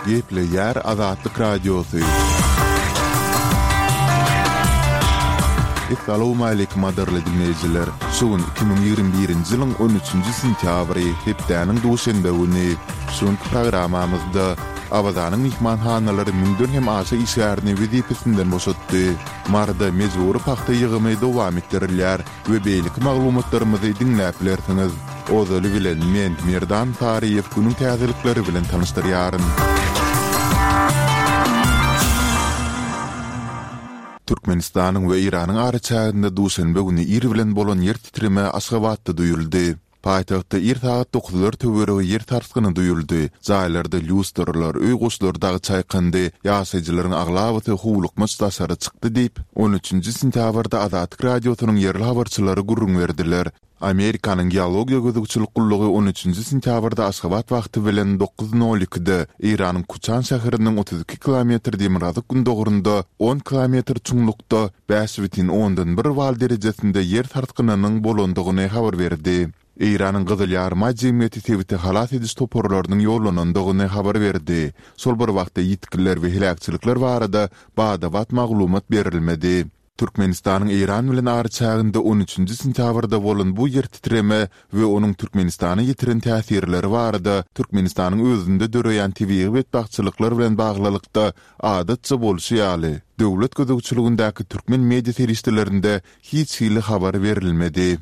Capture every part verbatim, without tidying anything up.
Gepleýär Azatlyk Radiosy. Essalawmaleýkim gadyrly diňleýjiler! Şu gün iki müň ýigrimi birinji ýylyň on üçünji sentýabry, hepdäniň duşenbe güni. Şu günki programmamyzda Awazanyň myhmanhanalary müňden hem aşa işgärini wezipesinden boşatdy. Maryda mejbury pagta ýygymy dowam etdirilýär we beýleki maglumatlarymyzy diňläp bilersiňiz. Ozaly bilen men, Merdan Saryýew günüň täzelikleri bilen tanyşdyrýaryn. Türkmenistanyň we Eýranyň araçäginde duşenbe güni ir bilen bolan ýer titreme Aşgabatda duýuldy. Paýtagtda ir sagat dokuzlar töweregi ýer sarsgyny duýuldy. Jaýlarda lýustralar, öý goşlary dagy çaýkandy, ýaşaýjylaryň aglabasy howlukmaç daşary çykdy diýip, on üçünji sentýabrda Azatlyk Radiosynyň ýerli habarçylary gürrüň berdiler. Amerikanyň Geologiýa gözegçilik gullugy on üçünji sentýabrda Aşgabat wagty bilen dokuz nol ikide Eýranyň Kuçan şäheriniň otuz iki kilometr demirgazyk-gündogarynda on kilometr çuňlukda bäş bütin ondan bir bal derejesinde ýer sarsgynynyň bolandygyny habar berdi. Eýranyň Gyzyl Ýarymaý jemgyýeti sebite halas ediş toparlarynyň ýollanandygyny habar berdi. Şol bir wagtda ýitgiler we heläkçilikler barada bada-bat maglumat berilmedi. Türkmenistanyň Eýran bilen araçäginde on üçünji sentýabrda bolan bu ýer titreme we onuň Türkmenistana ýetiren täsirleri barada Türkmenistanyň özünde döreýän tebigy betbagtçylyklar bilen baglylykda adatça bolşy ýaly, döwlet gözegçiligindäki türkmen media serişdelerinde hiç hili habar berilmedi.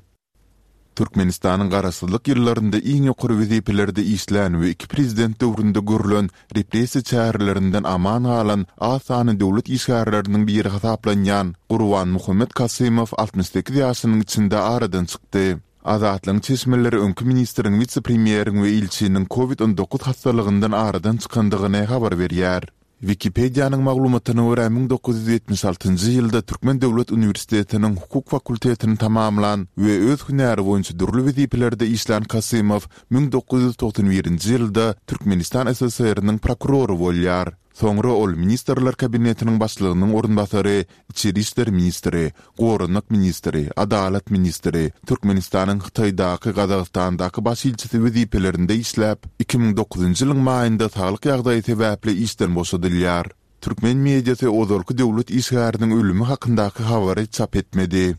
Türkmenistanyň Garaşsyzlyk ýyllarynda iň ýokary wezipelerde işlän we iki prezident döwründe görlen repressiýa çärelerinden aman galan az sanly döwlet işgärleriniň biri hasaplanýan Gurbanmuhammet Kasymow altmyş sekiz ýaşynyň içinde aradan çykdy. Azatlygyň çeşmeleri öňki ministriň wise-premýeriň we ilçiniň covid on dokuz hassalygyndan aradan çykandygyny habar berýär. Wikipedianyň maglumatyna görä, müň dokuz ýüz ýetmiş altynjy ýylda Türkmen döwlet uniwersitetiniň hukuk fakultetini tamamlan we öz hünäri boýunça dürli wezipelerde işlän Kasymow müň dokuz ýüz togsan birinji ýylda Türkmenistan SSR-niň prokurory bolýar. Soňra ol Ministrler Kabinetiniň Başlygynyň orunbasary, içeri işler ministri, goranmak ministri, adalat ministri, Türkmenistanyň Hytaýdaky, Gazagystandaky baş ilçisi wezipelerinde işläp, iki müň dokuzynjy ýylyň maýynda saglyk ýagdaýy sebäpli işden boşadylýar. Türkmen mediasy ozalky döwlet işgäriniň ölümi hakyndaky habary çap etmedi.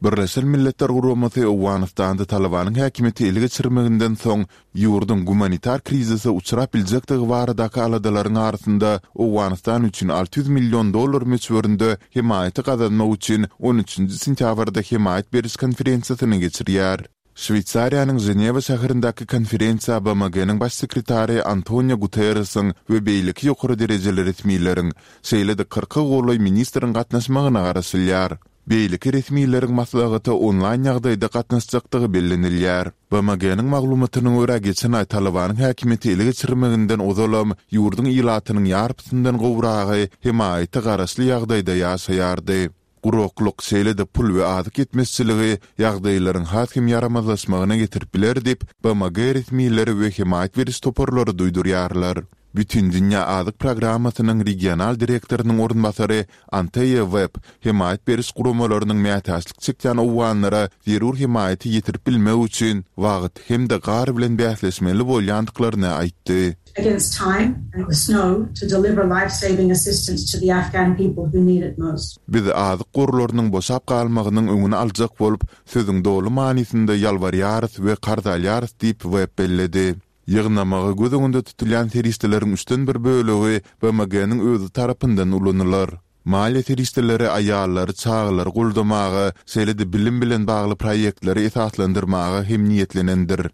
Birleşen Milletler Guramasy Owganystanda Talybanyň häkimiýeti ele geçirmeginden soň ýurduň gumanitar krizise uçrap biljekdigi baradaky aladalaryň arasynda Owganystan üçin alty ýüz million dollar möçberinde hemaýaty gazanmak üçin on üçünji sentýabrda hemaýat beriş konferensiýasyny geçirýär. Şweýsariýanyň Ženewa şäherindäki konferensiýa BMG-niň Baş sekretary Antonio Guterresiň we beýleki ýokary derejeli resmileriň, şeýle-de kyrka golaý ministriň gatnaşmagyna garaşylýar. Beýleki resmileriň maslahata onlaýn ýagdaýda gatnaşjakdygy bellenilýär. BMG-niň maglumatyna görä, geçen aý Talybanyň häkimiýeti ele geçirmeginden ozalam ýurduň ilatynyň ýarpysyndan gowragy hemaýata garaşly ýagdaýda ýaşaýardy. Guraklyk, şeýle-de pul we azyk ýetmezçiligi ýagdaýlaryň has hem ýaramazlaşmagyna getirip biler diýip, BMG resmileri we hemaýat beriş toparlary duýdurýarlar. Bütindünýä azyk programmasynyň regional direktorynyň orunbasary Anteýa Webb hemaýat beriş guramalarynyň mätäçlik çekýän owganlara zerur hemaýaty ýetirip bilmek üçin wagt hem-de gar bilen bäsleşmeli bolýandyklaryny aýtdy. against time and the snow to deliver life-saving assistance to the Afghan people who need it most. Biz azyk gorlarynyň boşap galmagynyň öňüni aljak bolup, sözüň doly manysynda ýalbarýarys we karz alýarys diýip, Webb belledi. Ýygnamagy göz öňünde tutulýan serişdeleriň üçden bir bölegi BMG-niň özi tarapyndan ulanylar. Maliýe serişdeleri aýallary, çagalary goldamaga, şeýle-de bilim bilen bagly proýektleri esaslandyrmaga hem niýetlenendir.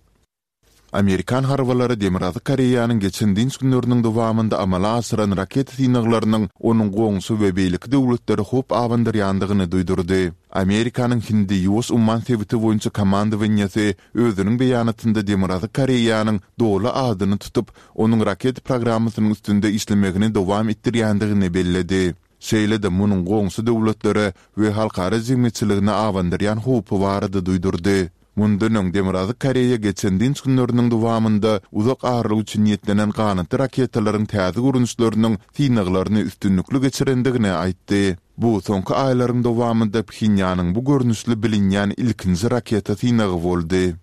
Amerikan harbylary Demirgazyk Koreýanyň geçen dynç günleriniň dowamynda amala aşyran raketa synaglarynyň onuň goňşy we beýleki döwletlere howp abandyrýandygyny duýdurdy. Amerikanyň Hindi-Ýuwaş umman sebiti boýunça komandowaniýesi özüniň beýanatynda Demirgazyk Koreýanyň doly adyny tutup, onuň raketa programmasynyň üstünde işlemegini dowam etdirýändigini belledi. Şeýle-de munuň goňşy döwletlere we halkara jemgyýetçiligine abandyrýan howpy barada duýdurdy. Mundan öň Demirgazyk Koreýa geçen dynç günleriniň dowamynda uzak aralyk üçin niýetlenen ganatly raketalaryň täze görnüşleriniň synaglaryny üstünlikli geçirendigini aýtdy. Bu soňky aýlaryň dowamynda Phenýanyň bu görnüşli bilinýän ilkinji raketa synagy boldy.